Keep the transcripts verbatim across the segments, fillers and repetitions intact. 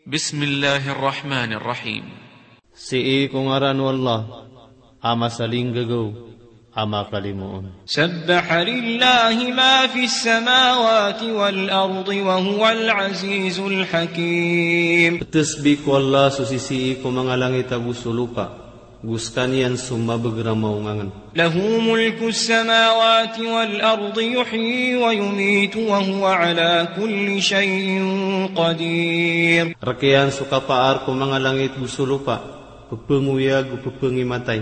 Bismillahir Rahmanir Rahim. Sii ko ngaran o Allah a masalinggagaw a makalimoon. Sabbaha lillahi ma fis samawati wal ardi wa huwal azizul hakim. Ptasbih ko Allah so sisii ko manga langit ago so lopa, go skaniyan so mabagr a maongangn. Lahu mulkus samawati wal ardi yuhyi wa yumitu wa huwa ala kulli shay'in qadir. Rk iyan so kapaar ko manga langit go so lopa, ppangoyag go ppangimatay,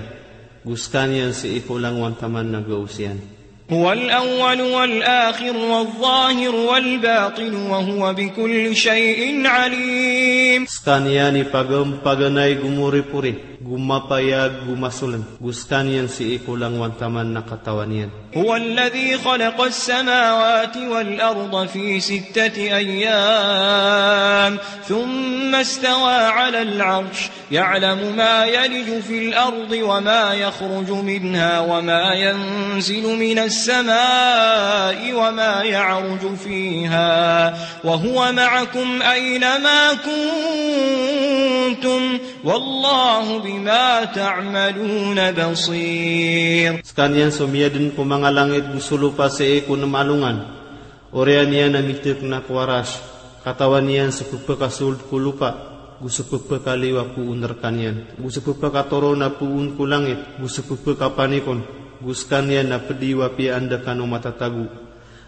go skaniyan sii ko langowan taman na gaos iyan. Huwal awwalu wal akhiru waz zahiru wal batinu wa huwa bikulli shay'in alim. Skaniyan i pagam-, paganay go moripori, go mapayag go masoln, go skaniyan sii ko langowan taman na katawan iyan. Huwal ladhi khalaqas samawati wal arda fi sittati ayyam, thumma istawa alal arsh. Ya'lamu ma yaliju fil ardi wa ma yakhruju minha wa ma yanzilu minas samai wa ma ya'ruju fiha wa huwa ma'akum aina ma kuntum wallahu bima ta'maluna basir. Skaniyan so miyadn ko manga langit go so lopa sii ko nm a alongan. Oriyan iyan a mitk na ko Arash, katawan iyan so ppkasold ko lopa, go so ppkaliyo a poon rkaniyan, go so ppkatoron a poon ko langit, go so ppkapanik on, go skaniyan a pd iyo a piya anda kano matatago.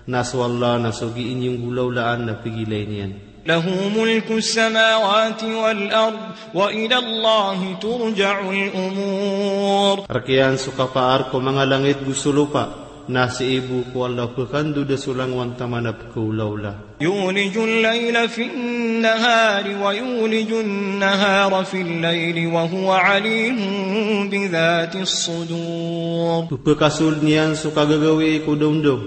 Na so Allah na so gii niyo nggolawlaan na pgilayn iyan. Lahu mulkus samawati wal ard, wa ilallahi turja'ul umur. Rk iyan so kapaar ko manga langit go so lopa, na sii bo ko Allah pkandoda so langowan taman a pkaolawla. Yulijul layla fin nahari wa yulijun nahara fil layli wa huwa alimun bidhatis sudur. Ppkasold iyan so kagagawii ko dawndaw,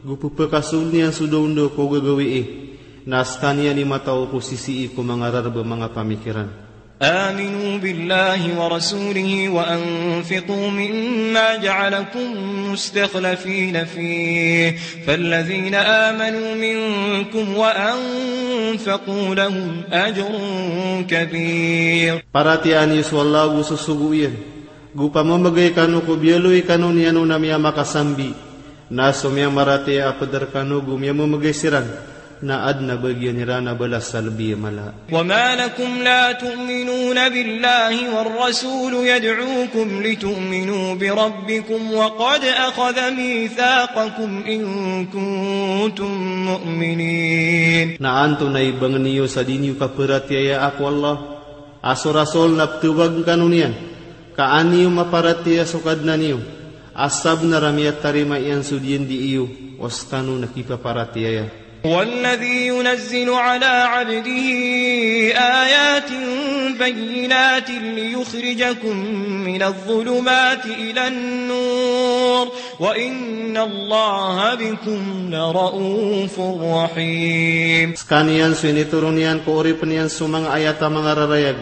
go ppkasold iyan so dawndaw ko gagawii, na skaniyan i mataw ko sisii ko manga rarb a manga pamikiran. Aminu billahi wa rasulihi wa anfiqu mimma ja'alakum mustakhlafina fih, falladhina amanu minkum wa anfaqu lahum ajrun kabir. Paratiyaya niyo so Allah go so sogo iyan, go pamamgay kano ko biyaloy kano niyan on a miyamakasambi. Na so miyamaratiyaya a pd rkano go miyamamgay siran, na adn a bagian iran a balas a lbi a mala. Wa ma lakum la tu'minuna billahi war rasulu yad'ukum litu'minu bi rabbikum wa qad akhadha mithaqakum in kuntum mu'minin. Na antonaa i bangn iyo sa di niyo kaparatiyayaa ko Allah, a so Rasul na ptawag kano niyan, ka an iyo maparatiyaya so Kadnan iyo, a sabnar a miyatarima iyan so diyandi iyo, o skano na kipaparatiyaya. Huwa alladhi yunazzilu ala abdihi ayatin bayyinatin liyukhrijakum minadh dhulumati ilan nur, wa innallaha bikum lara'ufur rahim. Skaniyan so initoron iyan ko oripn iyan so manga ayat a manga rarayag,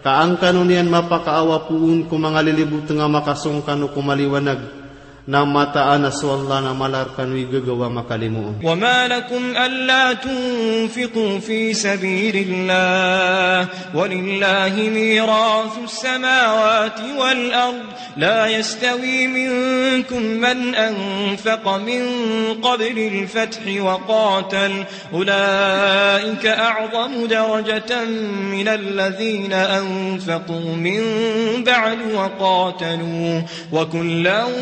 ka an kano niyan mapakaawa poon ko manga lilibotng a makasong kano ko maliwanag, na mataan a so Allah na mala rkano i gagaw a makalimoon. Wa ma lakum alla tunfiqu fi sabilillah, wa lillahi mirathus samawati wal ard, la yastawi minkum man anfaqa min qablil fathi wa qatal, ulaika a'zamu darajatan minal ladhina anfaqu min ba'du wa qatalu, wa kullan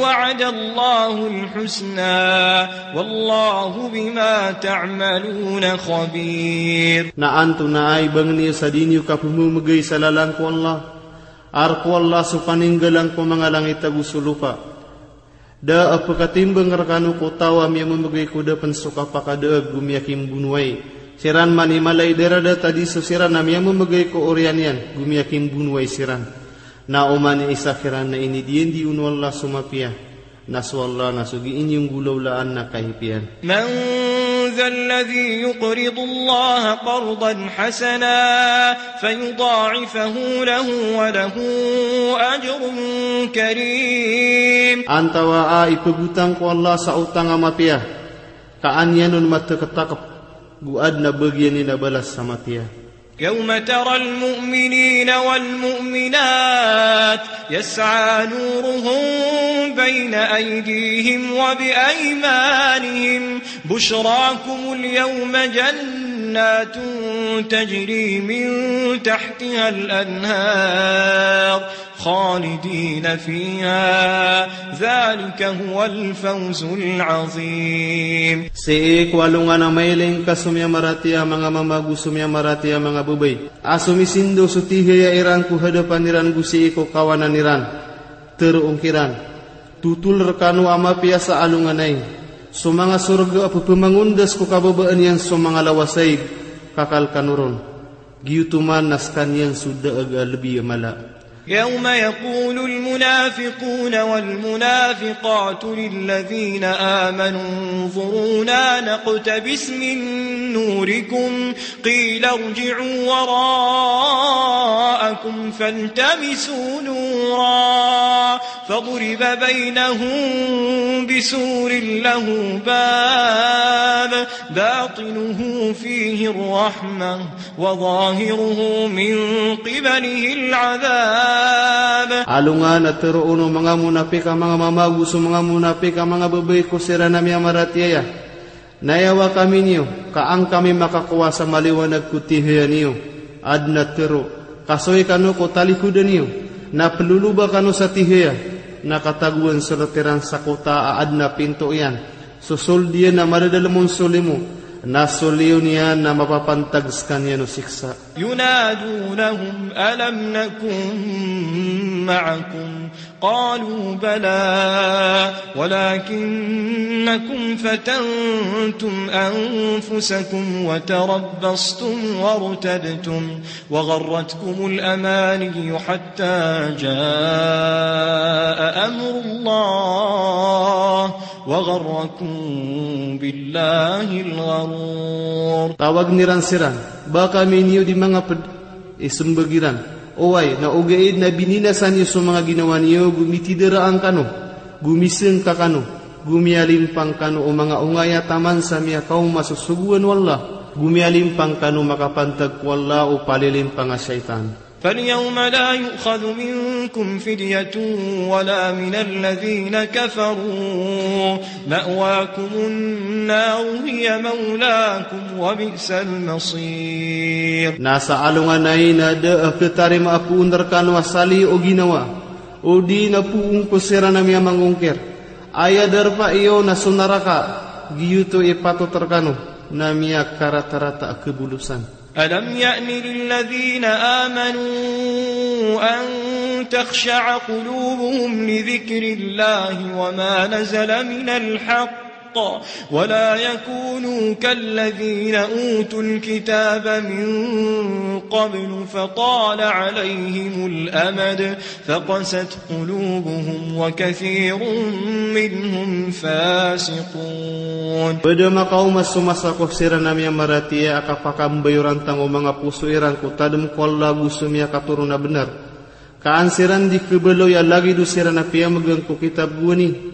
wa'adallahul husna, wallahu bima ta'maluna khabir. Na antonaa i bangn iyo sa di niyo kapmamgay sa lalan ko Allah, a rk o Allah so paninggalan ko manga langit ago so lopa. Da a pkatimbang rkano ko taw a miyamamgay ko da pn so kapakadaag go miyakimbonowai siran man i mala i daradat a di so siran a miyamamgay ko oriyan iyan go miyakimbonowai siran. Na oman i isa kiran na inidiyandi on o Allah so mapiya, na so Allah na so gii niyo nggolawlaan na kahipiyan. Man dhal ladhi yuqridullaha qardan hasana fayudha'ifahu lahu wa lahu ajrun karim. Antawaa i pagotang ko Allah sa otang a mapiya, ka an iyan on matktakt, go adn a bagian iyan a balas a mapiya. يوم ترى المؤمنين والمؤمنات يسعى نورهم بين أيديهم وبأيمانهم بشراكم اليوم جنات تجري من تحتها الأنهار خالدين فيها ذلك هو الفوز العظيم. Sii ko alongan a mailay ngka so miyamaratiyaya a manga mama ago so miyamaratiyaya a manga babay a somisindaw so tihaya iran ko hadapan iran go sii ko kawanan iran. Teroon kiran, totol rekano a mapiya sa alongan ai so manga sorga a pepemangondas ko kababaan iyan so manga lawas aig, kakal kano ron. Giyoto man na sekaniyan so daag a lebi a mala. يوم يقول المنافقون والمنافقات للذين آمنوا انظرونا نقتبس من نوركم قيل ارجعوا وراءكم فالتمسوا نورا فضرب بينهم بسور له باب باطنه فيه الرحمة وظاهره من قبله العذاب. Alongan a teroon o manga monapik a manga mama ago so manga monapik a manga babay ko siran a miyamaratiyaya, na aya wa kami niyo, ka an kami makakowa sa maliwanag ko tihaya niyo. Aden a tero, kasoy kano ko talikodan iyo, na peloloba kano sa tihaya, na katagoan so ret iran sa kota a aden a pinto iyan. So sold iyan na madadalem on so limo, na so liyo niyan na mapapantag sekaniyan o siksa. ينادونهم ألم نكن معكم قالوا بلى ولكنكم فتنتم أنفسكم وتربصتم وارتبتم وغرتكم الأماني حتى جاء أمر الله وغركم بالله الغرور. Tawagen iran siran, ba kami niyo di mangaped? Isembag iran, oway, na ogaid na bininasa niyo so manga ginawa niyo, go mitidaraan kano, go misengka kano, go miyalimpang kano o manga ongaya taman sa miyakaoma so sogoan o Allah, go miyalimpang kano makapantag ko Allah o palilimpang a shaytan. فاليوم لا يؤخذ منكم فدية ولا من الذين كفروا مأواكم النار هي مولاكم وبئس المصير. Na sa alongan ai na da a khatarima a poon rekano a saliyo o ginawa, odi na poon ko siran a miyamangongkir. Aya darpa iyo na so naraka, giyoto i patot rekano na miyakaratarata a khabolosan. ألم يأن للذين آمنوا أن تخشع قلوبهم لذكر الله وما نزل من الحق ولا يكونوا كالذين أوتوا الكتاب من قبل فطال عليهم الأمد فقست قلوبهم وكثير منهم فاسقون. Ped a makaoma so masa ko siran a miyamaratiyaya a kapakambayoran tano o manga poso iran ko tadem ko Allah ago so miyakatoron a benar. Ka an siran di khabaloy a lagid o siran a piyamegang ko kitab gowani.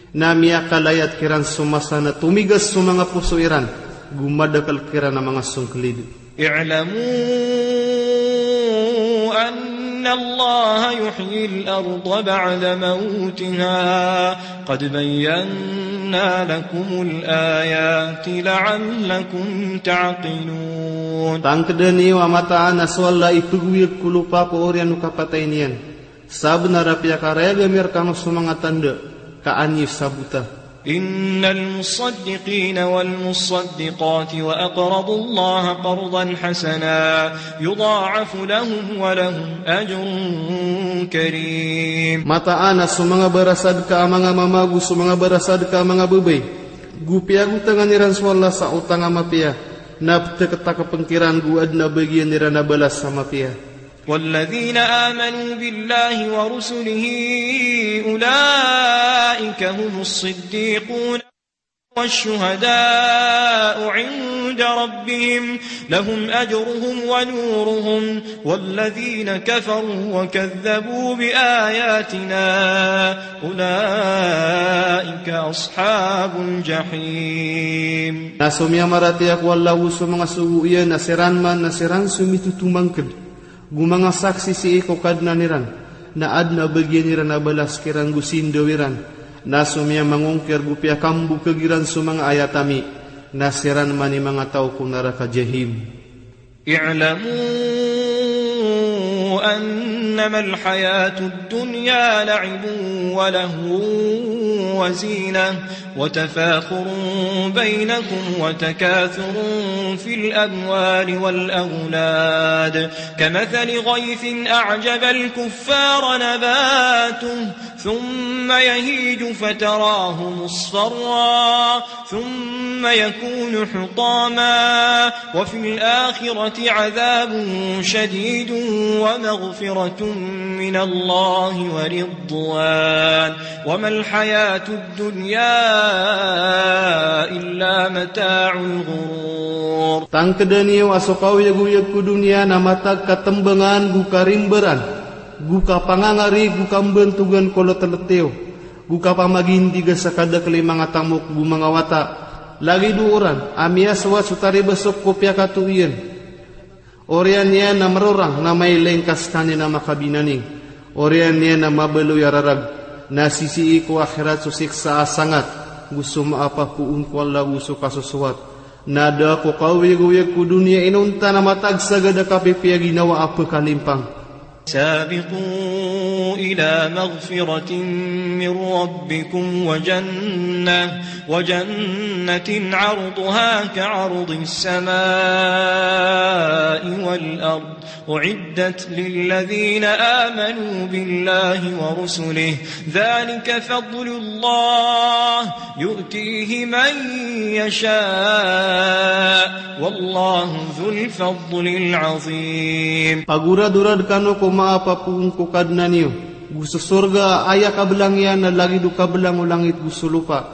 Na miyakalayat kiran so masa na tomigas so manga poso iran, go madakel kiran a manga songkelid. اعلموا أن الله يحيي الأرض بعد موتها قد بينا لكم الآيات لعلكم تعقلون. Tangkeda niyo a mataan a so Allah i pegowiyag ko lopa ko oriyan o kapatay niyan. Sabenar a piyakarayag ami rekano so manga tanda, ka an iyo sabota. إن المصدقين والمصدقات وأقرضوا الله قرضا حسنا يضاعف لهم ولهم أجر كريم. Mataan a so manga barasadka a manga mama ago so manga barasadka a manga babay, go piyagotangan iran so Allah sa otang a mapiya, na peteketakepen kiran go aden a bagian iran a balas a mapiya. والذين آمنوا بالله ورسله أولئك هم الصديقون. والشهداء عند ربهم لهم أجرهم ونورهم والذين كفروا وكذبوا بآياتنا أولئك أصحاب الجحيم. Na so miyamaratiyaya ko Allah ago so manga sogo iyan na siran man na siran so mitotomangked go manga saksi sii ko Kadnan iran, na aden a bagian iran a balas kiran go sindaw iran. Na so miyamangongkir go piyakambokeg iran so manga ayat ami, na siran man i manga taw ko naraka Jahim. اعلموا أنما الحياة الدنيا لعب ولهو وزينة وتفاخر بينكم وتكاثر في الأموال والأولاد كمثل غيث أعجب الكفار نباته ثم يهيج فتراه مصفرا ثم يكون حطاما وفي الآخرة عذاب شديد ومغفرة من الله ورضوان وما الحياة الدنيا إلا متاع الغرور. Tangkeda niyo a so kaoyagoyag ko doniya na matag katembangan go karimberan, go kapangangari, go kambantogan ko letelet iyo, go kapamagindiga sa kadakel i manga tamok go manga wata. Lagid o oran a miyasoat so taribesok ko piyakatoiyan. Oriyan iyan na merorang na mailay ngka sekaniyan a makabinani. Oriyan iyan na mabaloy a rarag. Na sisii ko akhirat so siksa a sangat, go so maapapoon ko Allah go so kasosoat. Na da ko kaoyagoyag ko doniya inonta na matag sa gada kapipiya ginawa a pekalimpang. سابقوا إلى مغفرة من ربكم وجنة، وجنة عرضها كعرض السماء والأرض، أعدت للذين آمنوا بالله ورسله، ذلك فضل الله يؤتيه من يشاء، والله ذو الفضل العظيم. Pagoradorad kano ko maapapoon ko Kadnan iyo, go so sorga a aya kabelang iyan na lagid o kabelang o langit go so lopa.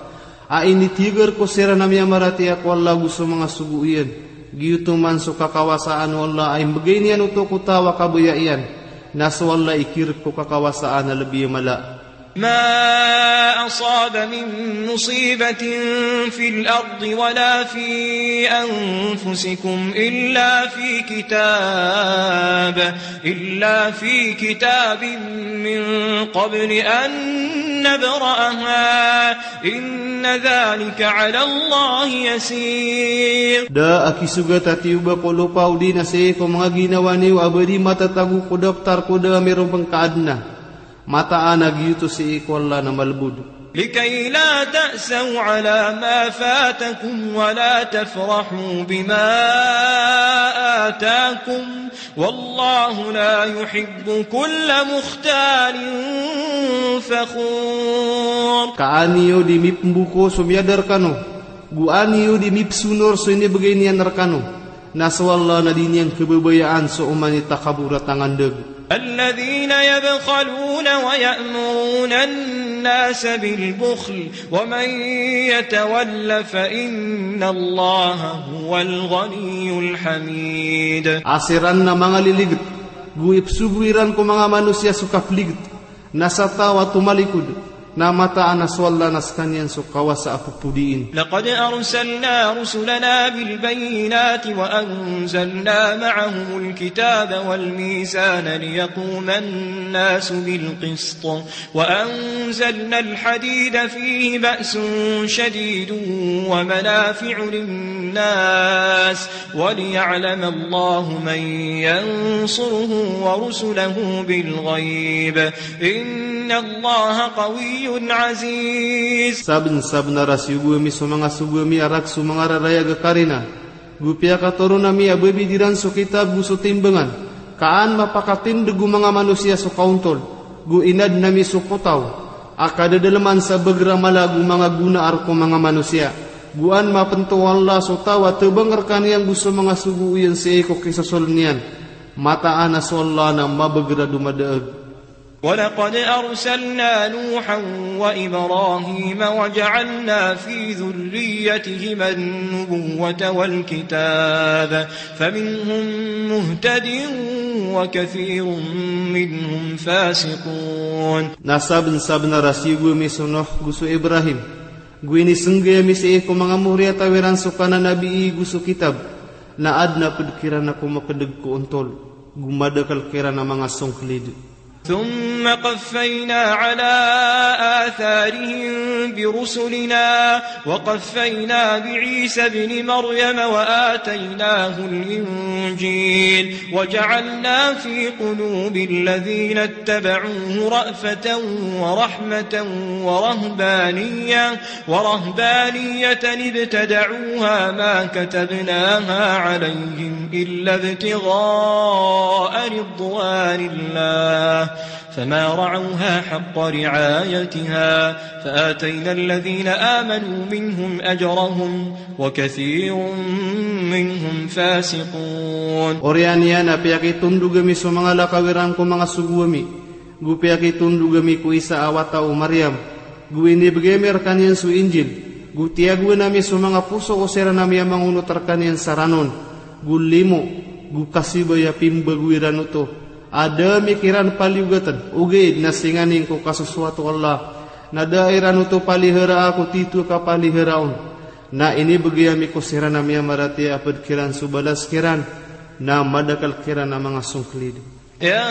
A initiger ko siran a miyamaratiyaya ko Allah go so manga sogo iyan. Giyoto man so kakawasaan o Allah a imbegay niyan oto ko taw a kabaya iyan. Na so Allah i kirek ko kakawasaan a lebi a mala. ما أصاب من مصيبة في الأرض ولا في أنفسكم إلا في كتاب، إلا في كتاب من قبل أن نبرأها، إن ذلك على الله يسير. Da a kisogat a tiyoba ko lopa odi na sii ko manga ginawa niyo a ba di matatago ko daptar ko da a mirombeng ka aden a mataan a giyoto sii ko Allah na malebod. لكي لا تأسوا على ما فاتكم ولا تفرحوا بما آتاكم والله لا يحب كل مختال فخور. Ka an iyo di mipemboko so miyada rekano, go an iyo di mipesonor so inibegay niyan rekano. Na so Allah na di niyan kebebayaan so oman i takabor a tangandeg. الذين يبخلون ويأمرون الناس بالبخل ومن يتول فإن الله هو الغني الحميد. A siran na manga liliget, go ipesogo iran ko manga manosiya so kapeliget. Na sa taw a tomalikod, na mataan a so Allah na sekaniyan so kawasa a pepodiin. لقد أرسلنا رسلنا بالبينات وأنزلنا معهم الكتاب والميزان ليقوم الناس بالقسط وأنزلنا الحديد فيه بأس شديد ومنافع للناس وليعلم الله من ينصره ورسله بالغيب إن الله قوي عزيز. Sabensabenar a siyogo ami so manga sogo ami a rakhs o manga rarayag a karina, go piyakatoron ami a babid iran so kitab go so timbangan, ka an mapakatindeg o manga manosiya so kaontol, go inaden ami so potaw a kadadaleman sa beger a mala go manga gonaar ko manga manosiya. Go an mapento o Allah so taw a tebang rekaniyan go so manga sogo iyan sii ko kisosolen iyan. Mataan a so Allah na mabeger a domadaeg. ولقد أرسلنا نوحا وإبراهيم وجعلنا في ذريتهما النبوة والكتاب فمنهم مهتد وكثير منهم فاسقون. Na sabnsabnar a siyogo ami so Nuh go so Ibrahim, go inisnggay ami sii ko manga moriyataw iran so kananabii go so kitab, na adn a pd kiran a komakdg ko ontol, go madakl kiran a manga songklid. ثم قفينا على آثارهم برسلنا وقفينا بعيسى ابن مريم وآتيناه الإنجيل وجعلنا في قلوب الذين اتبعوه رأفة ورحمة ورهبانية، ورهبانية ابتدعوها ما كتبناها عليهم إلا ابتغاء رضوان الله، فما رعوها حق رعايتها، فآتينا الذين آمنوا منهم أجرهم، وكثير منهم فاسقون. Oriyan iyan a piyakitondog ami so manga lakaw iran ko manga sogo ami, go piyakitondog ami ko Isa a wata o Maryam, go inibgay ami rkaniyan so Injil, go tiyagoan ami so manga poso o siran a miyamangonot rkaniyan sa ranon, go limo, go kasibay a pimbago iran oto, a da ami kiran paliyogatn, ogaid na singanin ko kasosoat o Allah, na da iran oto paliharaa ko tito a kapaliharaa on, na inibgay ami ko siran a miyamaratiyaya a pd kiran so balas kiran, na madakl kiran a manga songklid. يا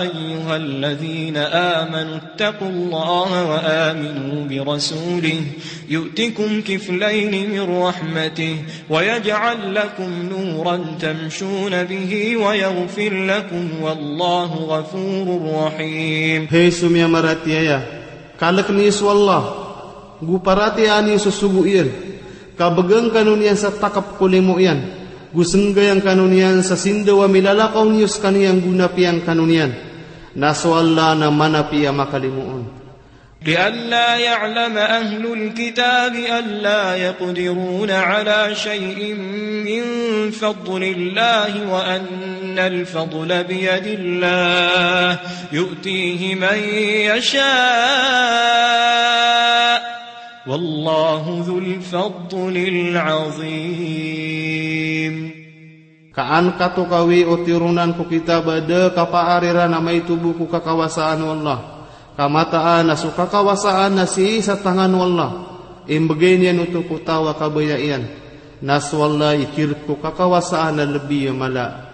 أيها الذين آمنوا اتقوا الله وآمنوا برسوله يؤتكم كفلين من رحمته ويجعل لكم نورا تمشون به ويغفر لكم والله غفور رحيم. Hay so miyamaratiyaya, kalkn iyo so Allah, go paratiyayaan iyo so sogo iyan, ka bgan kano niyan sa takp ko limo iyan, go snggayan kano niyan sa sindaw a milalakaw niyo skaniyan go napiya ngkano niyan. Na so Allah na manapi a makalimoon. لئلا يعلم أهل الكتاب ألا يقدرون على شيء من فضل الله وأن الفضل بيد الله يؤتيه من يشاء والله ذو الفضل العظيم. Ka an katokawi o tironan ko kitab a da kapaar iran a maito bo ko kakawasaan o Allah, ka mataan a so kakawasaan na sii sa tangan o Allah, imbgay niyan oto ko taw a kabaya iyan, na so Allah i kirk ko kakawasaan a lbi a mala.